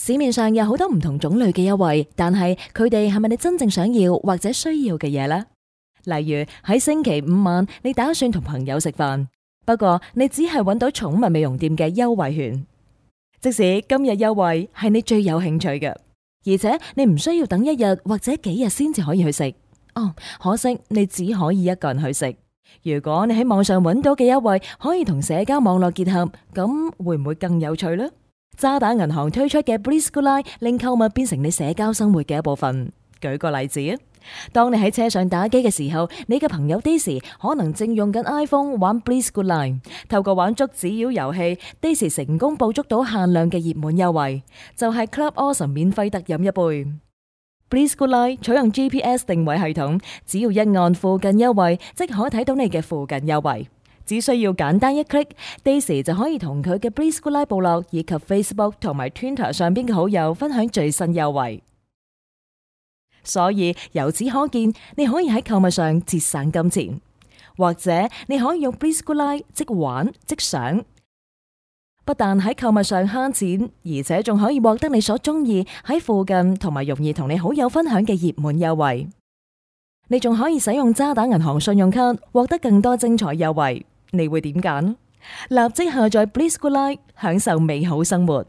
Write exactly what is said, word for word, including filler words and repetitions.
市面上有好多唔同種類嘅優惠，但係佢哋係咪你真正想要或者需要嘅嘢呢？例如喺星期五晚，你打算同朋友食飯，不過你只係揾到寵物美容店嘅優惠券。即使今日優惠係你最有興趣嘅，而且你唔需要等一日或者幾日先至可以去食。哦，可惜你只可以一個人去食。如果你喺網上揾到嘅優惠可以同社交網絡結合，咁會唔會更有趣呢？渣打銀行推出嘅 Bliss Good Line 令購物變成你社交生活嘅一部分。舉個例子啊，當你喺車上打機嘅時候，你嘅朋友 Daisy 可能正用緊 iPhone 玩 Bliss Good Line， 透過玩捉紙鷂遊戲 ，Daisy 成功捕捉到限量嘅熱門優惠，就係 Club Awesome 免費特飲一杯。Bliss Good Line 採用 G P S 定位系統，只要一按附近優惠，即可睇到你嘅附近優惠。只需要簡單一 click，Daisy 就可以同佢嘅 Bliss Good Line 部落以及 Facebook 同埋 Twitter 上邊嘅好友分享最新優惠。所以由此可見，你可以喺購物上節省金錢，或者你可以用 Bliss Good Line 即玩即享，不但喺購物上慳錢，而且仲可以獲得你所中意喺附近同埋容易同你好友分享嘅熱門優惠。你仲可以使用渣打銀行信用卡獲得更多精彩優惠。你會點揀？立即下載 Bliss Good Line，享受美好生活。